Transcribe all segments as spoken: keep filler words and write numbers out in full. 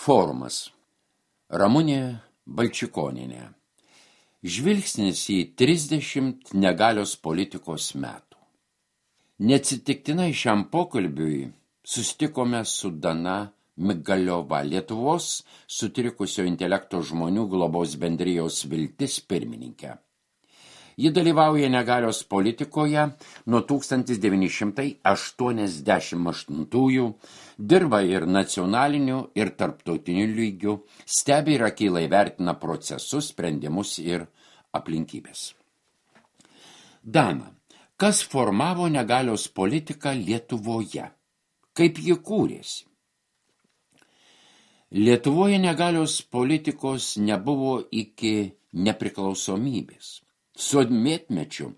Forumas. Ramunė Balčikonienė. Žvilgsnis į trisdešimt negalios politikos metų. Neatsitiktinai šiam pokalbiui susitikome su Dana Migaliova, Lietuvos sutrikusio intelekto žmonių globos bendrijos Viltis pirmininkė. Ji dalyvauja negalios politikoje nuo tūkstantis devyni šimtai aštuoniasdešimt aštuntųjų, dirba ir nacionaliniu, ir tarptautiniu lygiu, stebi ir akylai vertina procesus, sprendimus ir aplinkybės. Dana, kas formavo negalios politiką Lietuvoje? Kaip ji kūrėsi? Lietuvoje negalios politikos nebuvo iki nepriklausomybės. Sovietmečiu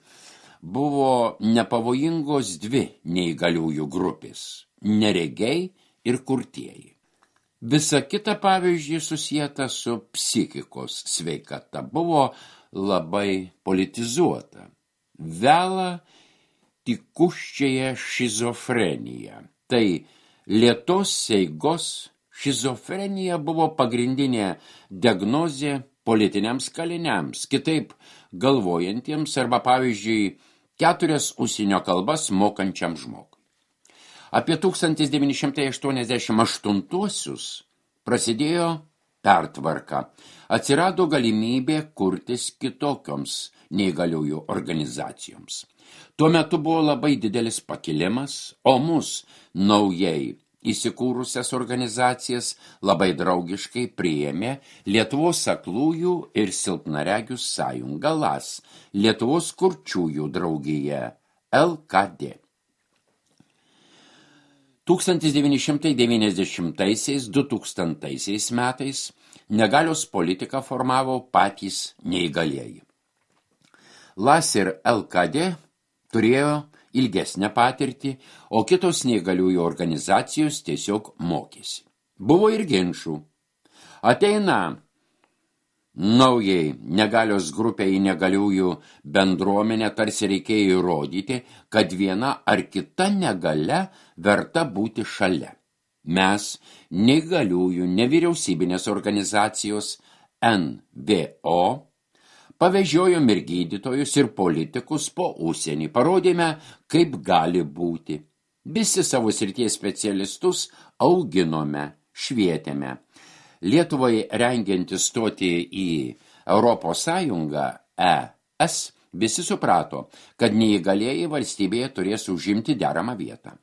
buvo nepavojingos dvi neįgaliųjų grupės – neregiai ir kurtieji. Visa kita, pavyzdžiui, susieta su psichikos sveikata, buvo labai politizuota. Vela tikuščiąją šizofreniją. Tai lėtos eigos šizofrenija buvo pagrindinė diagnozė politiniams kaliniams, kitaip galvojantiems arba, pavyzdžiui, keturias užsienio kalbas mokančiam žmogui. Apie tūkstantis devyni šimtai aštuoniasdešimt aštuntuosius prasidėjo pertvarka. Atsirado galimybė kurtis kitokioms neįgaliųjų organizacijoms. Tuo metu buvo labai didelis pakilimas, o mus naujai įsikūrusias organizacijas labai draugiškai priėmė Lietuvos aklųjų ir silpnaregių sąjunga L A S, Lietuvos kurčiųjų draugija L K D. tūkstantis devyni šimtai devyniasdešimtaisiais - du tūkstantaisiais metais negalios politiką formavo patys neįgalieji. L A S ir L K D turėjo ilgesnę patirtį, o kitos neįgaliųjų organizacijos tiesiog mokėsi. Buvo ir ginčų. Ateina naujai negalios grupiai neįgaliųjų bendruomenė, tarsi reikėjo įrodyti, kad viena ar kita negalia verta būti šalia. Mes, neįgaliųjų nevyriausybinės organizacijos N V O, pavežiojom ir gydytojus, ir politikus po užsienį. Parodėme, kaip gali būti. Visi savo srities specialistus auginome, švietėme. Lietuvai rengiantis stoti į Europos Sąjungą E S, visi suprato, kad neįgalieji valstybėje turės užimti deramą vietą.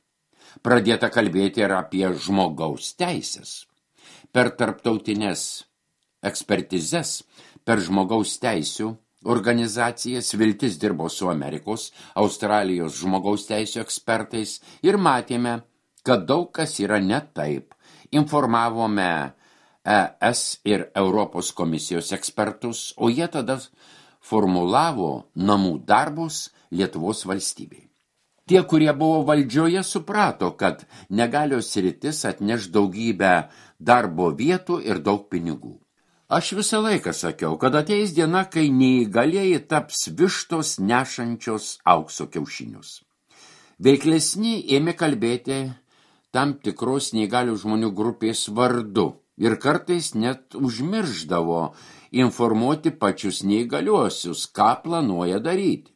Pradėta kalbėti ir apie žmogaus teisės. Per tarptautines ekspertizes, per žmogaus teisių organizacijas Viltis dirbo su Amerikos, Australijos žmogaus teisių ekspertais ir matėme, kad daug kas yra ne taip. Informavome E S ir Europos komisijos ekspertus, o jie tada formulavo namų darbus Lietuvos valstybei. Tie, kurie buvo valdžioje, suprato, kad negalios sritis atneš daugybę darbo vietų ir daug pinigų. Aš visą laiką sakiau, kad ateis diena, kai neįgalieji taps vištos nešančios aukso kiaušinius. Veiklesni ėmė kalbėti tam tikros neįgalių žmonių grupės vardu ir kartais net užmirždavo informuoti pačius neįgaliuosius, ką planuoja daryti.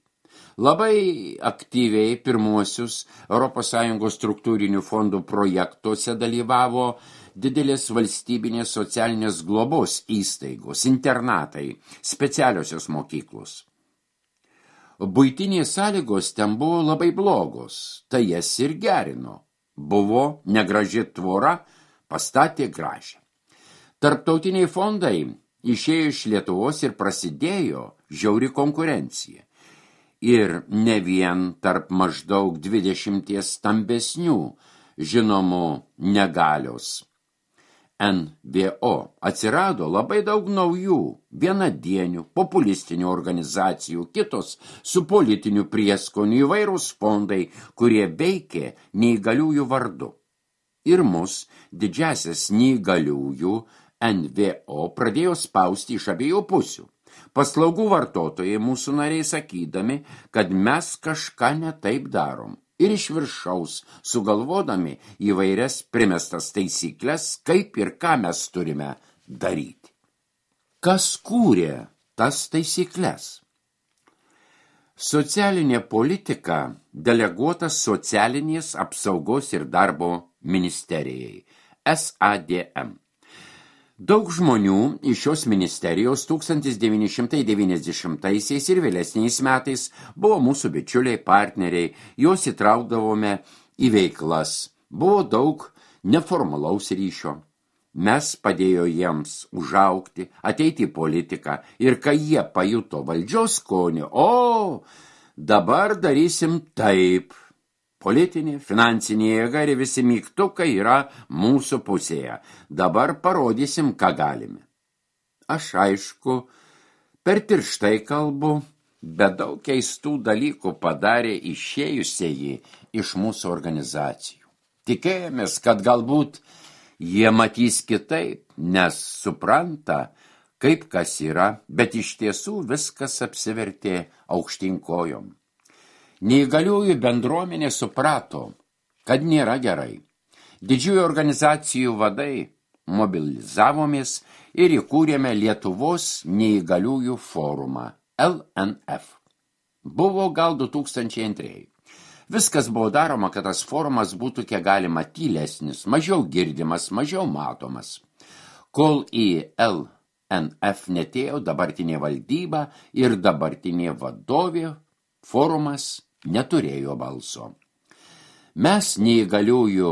Labai aktyviai pirmuosius Europos Sąjungos struktūrinių fondų projektuose dalyvavo didelės valstybinės socialinės globos įstaigos, internatai, specialiosios mokyklos. Buitinės sąlygos ten buvo labai blogos, tai jas ir gerino. Buvo negraži tvora, pastatė gražią. Tarptautiniai fondai išėjo iš Lietuvos ir prasidėjo žiauri konkurencija. Ir ne vien tarp maždaug dvidešimties stambesnių žinomų negalios N V O atsirado labai daug naujų, vienadienių, populistinių organizacijų, kitos su politiniu prieskoniu, įvairūs fondai, kurie veikė neįgaliųjų vardu. Ir mus, didžiasias neįgaliųjų N V O, pradėjo spausti iš abiejų pusių. Paslaugų vartotojai mūsų nariai sakydami, kad mes kažką ne taip darom. ir iš viršaus, sugalvodami įvairias primestas taisyklės, kaip ir ką mes turime daryti. Kas kūrė tas taisyklės? Socialinė politika deleguotas socialinės apsaugos ir darbo ministerijai, S A D M. Daug žmonių iš šios ministerijos tūkstantis devyni šimtai devyniasdešimtaisiais ir vėlesniais metais buvo mūsų bičiuliai, partneriai, juos įtraukdavome į veiklas. Buvo daug neformalaus ryšio. Mes padėjo jiems užaugti, ateiti į politiką ir kai jie pajuto valdžios skonį, o, dabar darysim taip. Politinė, finansinė jėga ir visi mygtukai yra mūsų pusėje. Dabar parodysim, ką galime. Aš aišku, per tirštai kalbu, bet daug keistų dalykų padarė išėjusieji iš mūsų organizacijų. Tikėjomės, kad galbūt jie matys kitaip, nes supranta, kaip kas yra, bet iš tiesų viskas apsivertė aukštyn kojom. Neįgaliųjų bendruomenė suprato, kad nėra gerai. Didžiųjų organizacijų vadai mobilizavomės ir įkūrėme Lietuvos neįgaliųjų forumą, L N F. Buvo gal du tūkstančiai antrieji. Viskas buvo daroma, kad tas forumas būtų kiek galima tylesnis, mažiau girdimas, mažiau matomas. Kol į L N F netėjo dabartinė valdyba ir dabartinė vadovė, forumas neturėjo balso. Mes neįgaliųjų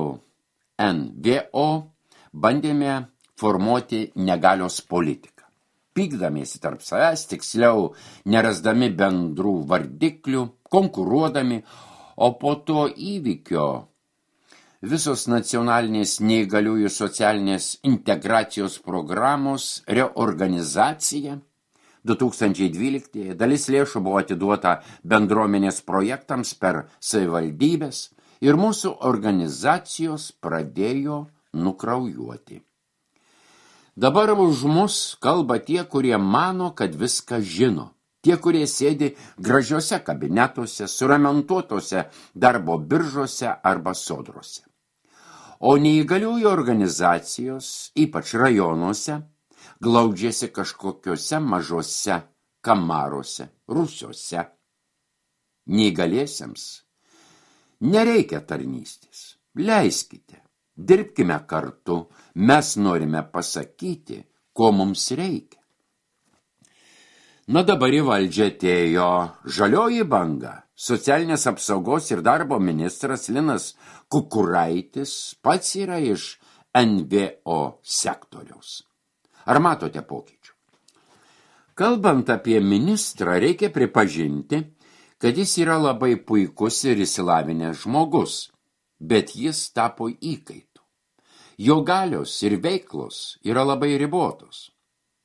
N V O bandėme formuoti negalios politiką. Pykdamiesi tarp savęs, tiksliau nerasdami bendrų vardiklių, konkuruodami, o po to įvykio visos nacionalinės neįgaliųjų socialinės integracijos programos reorganizacija du tūkstančiai dvyliktieji dalis lėšų buvo atiduota bendruomenės projektams per savivaldybės ir mūsų organizacijos pradėjo nukraujuoti. Dabar už mus kalba tie, kurie mano, kad viską žino. Tie, kurie sėdi gražiuose kabinetuose, suramentuotose darbo biržose arba sodrose. O neįgaliųjų organizacijos, ypač rajonuose, glaudžiasi kažkokiuose mažose kamaruose, rūsiuose. Neįgaliesiems nereikia tarnystės. Leiskite, dirbkime kartu, mes norime pasakyti, ko mums reikia. Na dabar į valdžią atėjo žalioji banga. Socialinės apsaugos ir darbo ministras Linas Kukuraitis pats yra iš N V O sektoriaus. Ar matote pokyčių? Kalbant apie ministrą, reikia pripažinti, kad jis yra labai puikus ir išsilavinęs žmogus, bet jis tapo įkaitu. Jo galios ir veiklos yra labai ribotos.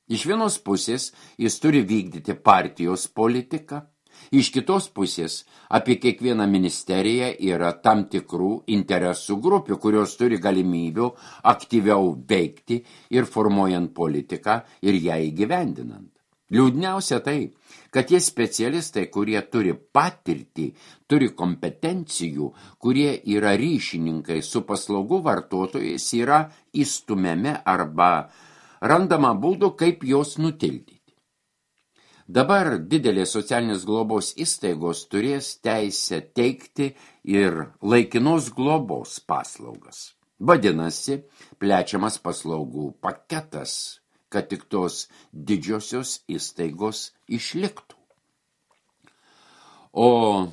Iš vienos pusės jis turi vykdyti partijos politiką, iš kitos pusės apie kiekvieną ministeriją yra tam tikrų interesų grupių, kurios turi galimybių aktyviau veikti ir formuojant politiką ir ją įgyvendinant. Liūdniausia tai, kad tie specialistai, kurie turi patirtį, turi kompetencijų, kurie yra ryšininkai su paslaugų vartotojais, yra įstumiami arba randama būdų, kaip jos nutildyti. Dabar didelės socialinės globos įstaigos turės teisę teikti ir laikinos globos paslaugas. Vadinasi, plečiamas paslaugų paketas, kad tik tos didžiosios įstaigos išliktų. O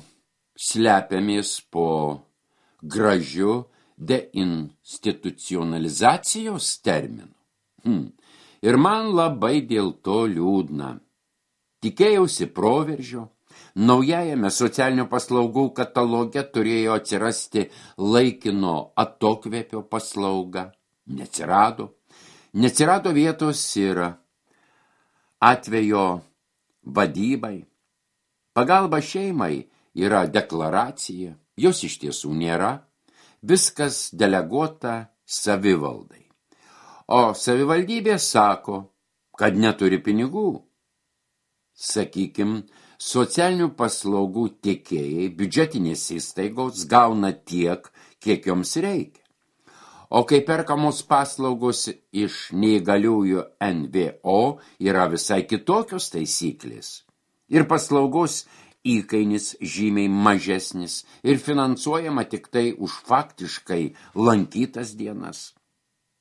slepiamės po gražiu deinstitucionalizacijos terminu. Hmm. Ir man labai dėl to liūdna. Tikėjausi proveržio, naujajame socialinių paslaugų kataloge turėjo atsirasti laikino atokvėpio paslauga. Neatsirado. Neatsirado vietos ir atvejo vadybai. Pagalba šeimai yra deklaracija, jos iš tiesų nėra. Viskas deleguota savivaldai. O savivaldybė sako, kad neturi pinigų. Sakykim, Socialinių paslaugų tiekėjai, biudžetinės įstaigos gauna tiek, kiek joms reikia. O kai perkamos paslaugos iš neįgaliųjų N V O yra visai kitokios taisyklės. Ir paslaugos įkainis žymiai mažesnis ir finansuojama tik tai už faktiškai lankytas dienas.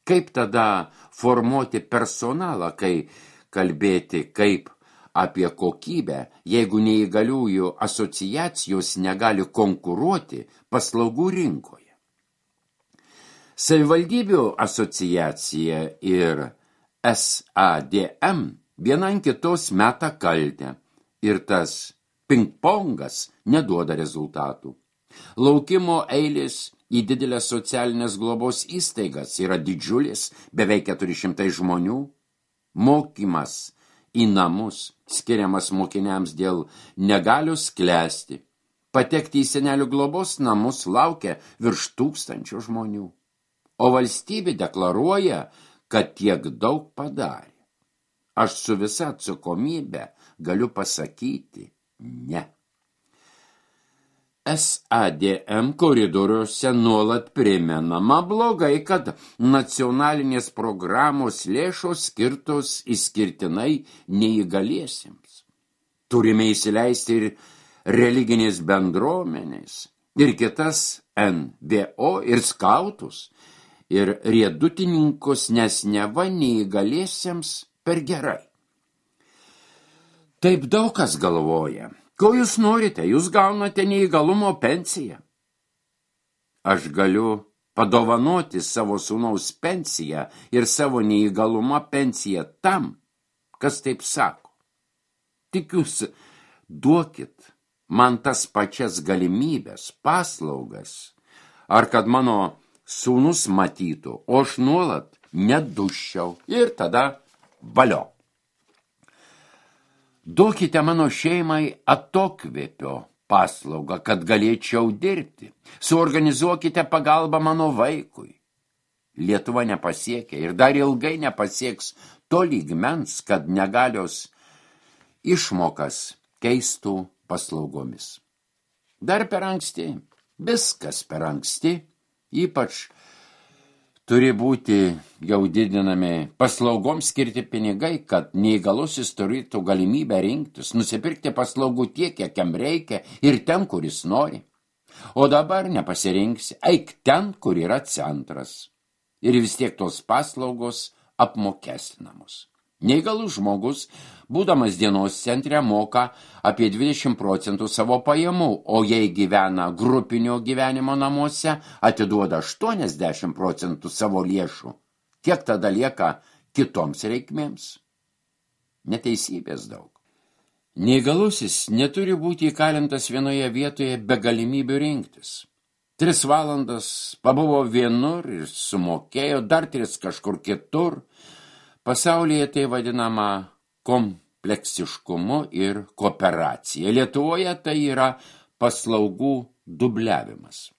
Kaip tada formuoti personalą, kai kalbėti kaip apie kokybę, jeigu neįgaliųjų asociacijos negali konkuruoti paslaugų rinkoje? Savivaldybių asociacija ir S A D M viena ant kitos meta kaltę ir tas pingpongas neduoda rezultatų. Laukimo eilės į didelės socialinės globos įstaigas yra didžiulis, beveik keturi šimtai žmonių. Mokymas į namus skiriamas mokiniams dėl negalios klesti. Patekti į senelių globos namus laukia virš tūkstančio žmonių. O valstybė deklaruoja, kad tiek daug padarė. Aš su visa atsakomybė galiu pasakyti ne. S A D M koridoriuose nuolat primenama blogai, kad nacionalinės programos lėšos skirtos išskirtinai neįgaliesiems. Turime įsileisti ir religinės bendruomenės, ir kitas N V O, ir skautus, ir riedutininkus, nes neva neįgaliesiems per gerai. Taip daug kas galvoja. Ko jūs norite? Jūs gaunate neįgalumo pensiją. Aš galiu padovanoti savo sūnaus pensiją ir savo neįgalumo pensiją tam, kas taip sako. Tik jūs duokit man tas pačias galimybės, paslaugas, ar kad mano sūnus matytų, o aš nuolat neduščiau ir tada valio. Duokite mano šeimai atokvėpio paslaugą, kad galėčiau dirbti. Suorganizuokite pagalbą mano vaikui. Lietuva nepasiekia ir dar ilgai nepasieks to lygmens, kad negalios išmokas keistų paslaugomis. Dar per anksti, viskas per anksti, ypač turi būti jau didinami paslaugoms skirti pinigai, kad neįgalusis turėtų galimybę rinktis, nusipirkti paslaugų tiek, kiek jam reikia ir ten, kur jis nori. O dabar nepasirinksi, eik ten, kur yra centras. Ir vis tiek tos paslaugos apmokestinamos. Neįgalus žmogus, būdamas dienos centre, moka apie dvidešimt procentų savo pajamų, o jei gyvena grupinio gyvenimo namuose, atiduoda aštuoniasdešimt procentų savo lėšų. Kiek tada lieka kitoms reikmėms? Neteisybės daug. Neįgalusis neturi būti įkalintas vienoje vietoje be galimybių rinktis. Tris valandas pabuvo vienur ir sumokėjo, dar tris kažkur kitur. Pasaulyje tai vadinama kompleksiškumu ir kooperacija. Lietuvoje tai yra paslaugų dubliavimas.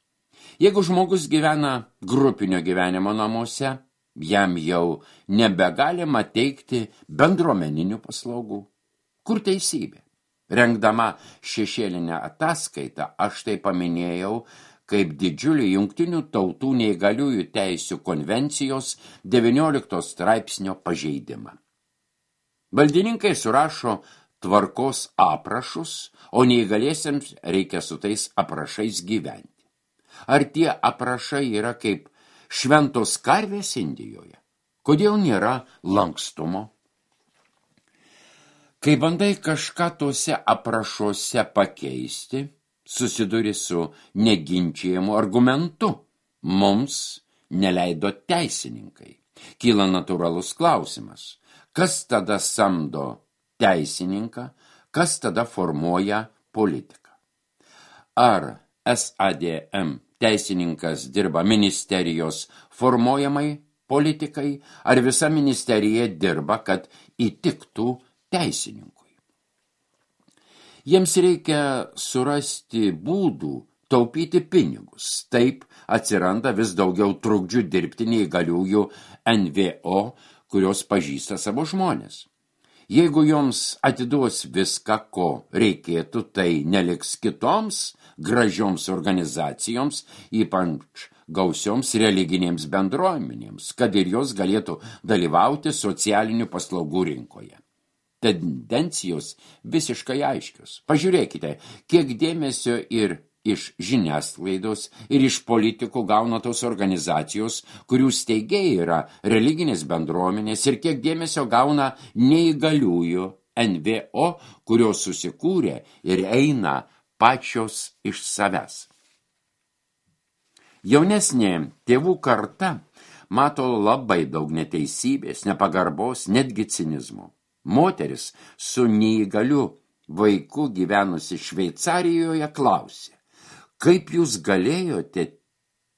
Jeigu žmogus gyvena grupinio gyvenimo namuose, jam jau nebegalima teikti bendruomeninių paslaugų. Kur teisybė? Rengdama šešėlinę ataskaitą, aš tai paminėjau kaip didžiulį Jungtinių tautų neįgaliųjų teisių konvencijos devyniolikto straipsnio pažeidimą. Valdininkai surašo tvarkos aprašus, o neįgaliesiems reikia su tais aprašais gyventi. Ar tie aprašai yra kaip šventos karvės Indijoje? Kodėl nėra lankstumo? Kai bandai kažką tose aprašuose pakeisti, susiduri su neginčiamu argumentu. Mums neleido teisininkai. Kyla natūralus klausimas. Kas tada samdo teisininką, kas tada formuoja politiką? Ar S A D M teisininkas dirba ministerijos formuojamai politikai, ar visa ministerija dirba, kad įtiktų teisininkui? Jiems reikia surasti būdų taupyti pinigus. Taip atsiranda vis daugiau trukdžių dirbti neįgaliųjų N V O, kurios pažįsta savo žmonės. Jeigu joms atiduos viską, ko reikėtų, tai neliks kitoms gražioms organizacijoms, ypač gausioms religinėms bendruomenėms, kad ir jos galėtų dalyvauti socialinių paslaugų rinkoje. Tendencijos visiškai aiškios. Pažiūrėkite, kiek dėmesio ir iš žiniasklaidos ir iš politikų gauna tos organizacijos, kurių steigėjai yra religinės bendruomenės, ir kiek dėmesio gauna neįgaliųjų N V O, kurios susikūrė ir eina pačios iš savęs. Jaunesnė tėvų karta mato labai daug neteisybės, nepagarbos, netgi cinizmo. Moteris su neįgaliu vaiku gyvenusi Šveicarijoje klausė, kaip jūs galėjote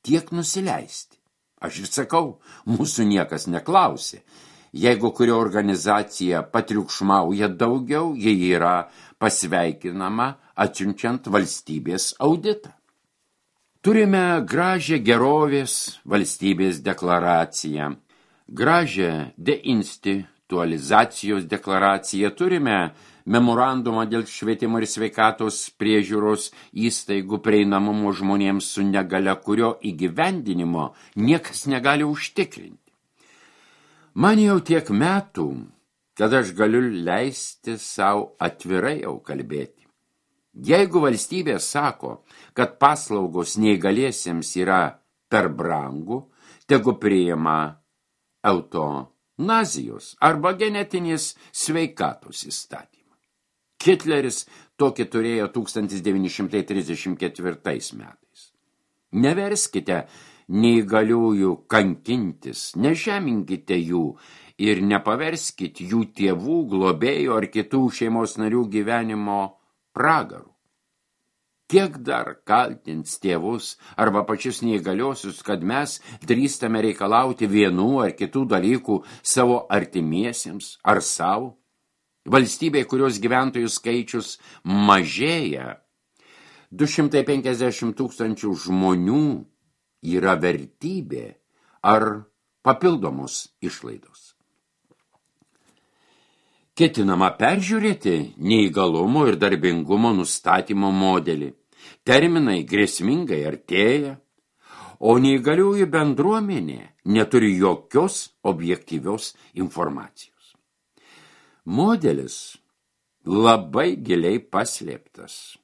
tiek nusileisti? Aš ir sakau, mūsų niekas neklausė. Jeigu kuri organizacija patriukšmauja daugiau, jie yra pasveikinama atsiunčiant valstybės auditą. Turime gražią gerovės valstybės deklaraciją, gražią deinstitualizacijos deklaraciją, turime memorandumą dėl švietimo ir sveikatos priežiūros įstaigų prieinamumo žmonėms su negalia, kurio įgyvendinimo niekas negali užtikrinti. Man jau tiek metų, kad aš galiu leisti savo atvirai jau kalbėti. Jeigu valstybė sako, kad paslaugos neįgaliesiems yra per brangu, tegu priima eutanazijos arba genetinės sveikatos įstatymą. Hitleris tokį turėjo tūkstantis devyni šimtai trisdešimt ketvirtais metais. Neverskite neįgaliųjų kankintis, nežeminkite jų ir nepaverskit jų tėvų, globėjų ar kitų šeimos narių gyvenimo pragarų. Kiek dar kaltins tėvus arba pačius neįgaliosius, kad mes drįstame reikalauti vienų ar kitų dalykų savo artimiesiems ar savo? Valstybė, kurios gyventojų skaičius mažėja, du šimtai penkiasdešimt tūkstančių žmonių yra vertybė ar papildomos išlaidos. Ketinama peržiūrėti neįgalumo ir darbingumo nustatymo modelį. Terminai grėsmingai artėja, o neįgaliųjų bendruomenė neturi jokios objektyvios informacijos. Modelis labai giliai paslėptas.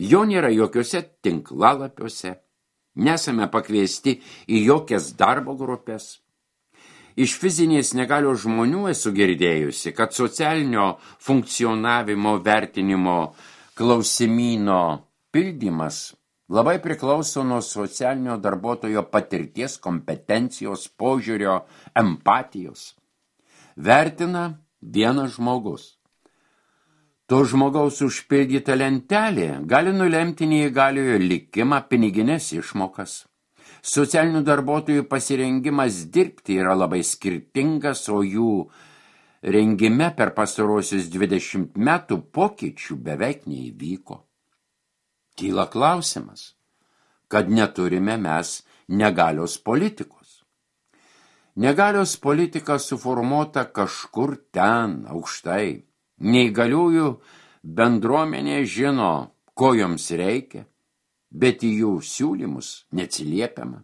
Jo nėra jokiuose tinklalapiuose, nesame pakviesti į jokias darbo grupės. Iš fizinės negalios žmonių esu girdėjusi, kad socialinio funkcionavimo vertinimo klausimyno pildymas labai priklauso nuo socialinio darbuotojo patirties, kompetencijos, požiūrio, empatijos. Vertina vienas žmogus. To žmogaus užpildyta lentelė gali nulemti neįgaliojo likimą, piniginės išmokas. Socialinių darbuotojų pasirengimas dirbti yra labai skirtingas, o jų rengime per pastarosius dvidešimt metų pokyčių beveik neįvyko. Kyla klausimas, kad neturime mes negalios politikos. Negalios politika suformuota kažkur ten, aukštai. Neįgaliųjų bendruomenė žino, ko joms reikia, bet į jų siūlymus neatsiliepiama.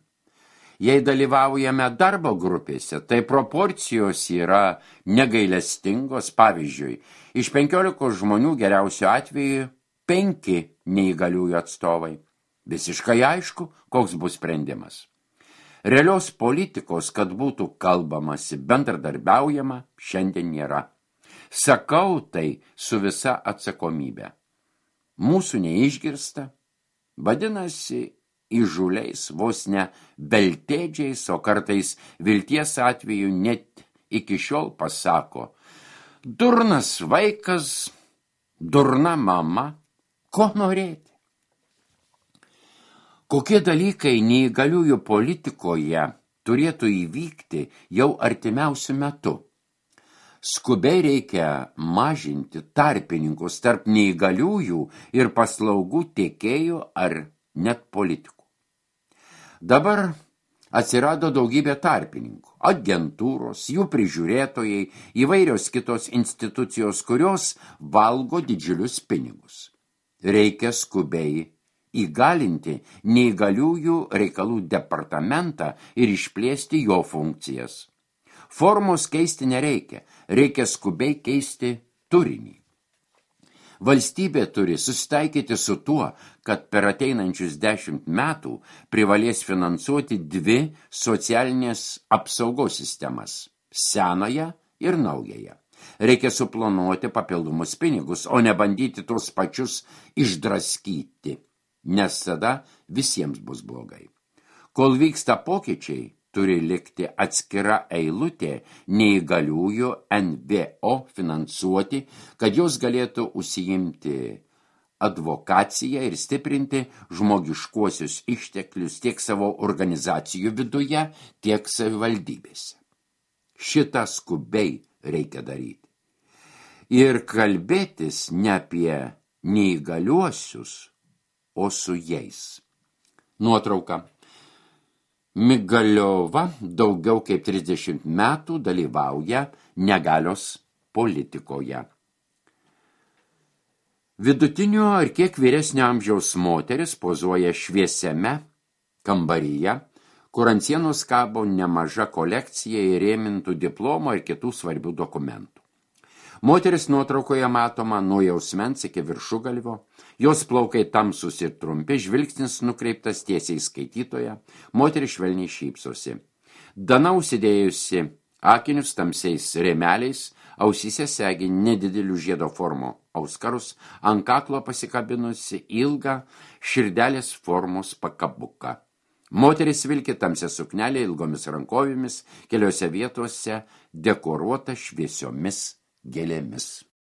Jei dalyvaujame darbo grupėse, tai proporcijos yra negailestingos. Pavyzdžiui, iš penkiolikos žmonių geriausiu atveju penki neįgaliųjų atstovai. Visiškai aišku, koks bus sprendimas. Realios politikos, kad būtų kalbamasi, bendradarbiaujama, šiandien nėra. Sakau tai su visa atsakomybė. Mūsų neišgirsta, vadinasi, įžūliais, vos ne beltėdžiais, o kartais vilties atveju net iki šiol pasako: durnas vaikas, durna mama, ko norėti? Kokie dalykai neįgaliųjų politikoje turėtų įvykti jau artimiausiu metu? Skubiai reikia mažinti tarpininkus tarp neįgaliųjų ir paslaugų tiekėjų ar net politikų. Dabar Atsirado daugybė tarpininkų, agentūros, jų prižiūrėtojai, įvairios kitos institucijos, kurios valgo didžiulius pinigus. Reikia skubiai įgalinti neįgaliųjų reikalų departamentą ir išplėsti jo funkcijas. Formos keisti nereikia, reikia skubiai keisti turinį. Valstybė turi susitaikyti su tuo, kad per ateinančius dešimt metų privalės finansuoti dvi socialinės apsaugos sistemas – senąją ir naująją. Reikia suplanuoti papildomus pinigus, o ne bandyti tuos pačius išdraskyti, nes tada visiems bus blogai. Kol vyksta pokyčiai, turi likti atskira eilutė neįgaliųjų N V O finansuoti, kad jos galėtų užsiimti advokaciją ir stiprinti žmogiškuosius išteklius tiek savo organizacijų viduje, tiek savivaldybėse. Šitą skubiai reikia daryti. Ir kalbėtis ne apie neįgaliuosius, o su jais. Nuotrauka. Migaliova daugiau kaip trisdešimt metų dalyvauja negalios politikoje. Vidutinio ar kiek vyresnio amžiaus moteris pozuoja šviesiame kambaryje, kur ant sienos kabo nemaža kolekcija įrėmintų diplomo ir kitų svarbių dokumentų. Moteris nuotraukoje matoma nuo jausmens iki viršugalvio, jos plaukai tamsus ir trumpi, žvilgsnis nukreiptas tiesiai skaitytoje, moteris švelniai šypsosi. Dana užsidėjusi akinius tamsiais rėmeliais, ausyse segi nedidelių žiedo formų auskarus, ant kaklo pasikabinusi ilgą širdelės formos pakabuką. Moteris vilki tamsią suknelę ilgomis rankovėmis, keliose vietose dekoruota šviesiomis gėlėmis.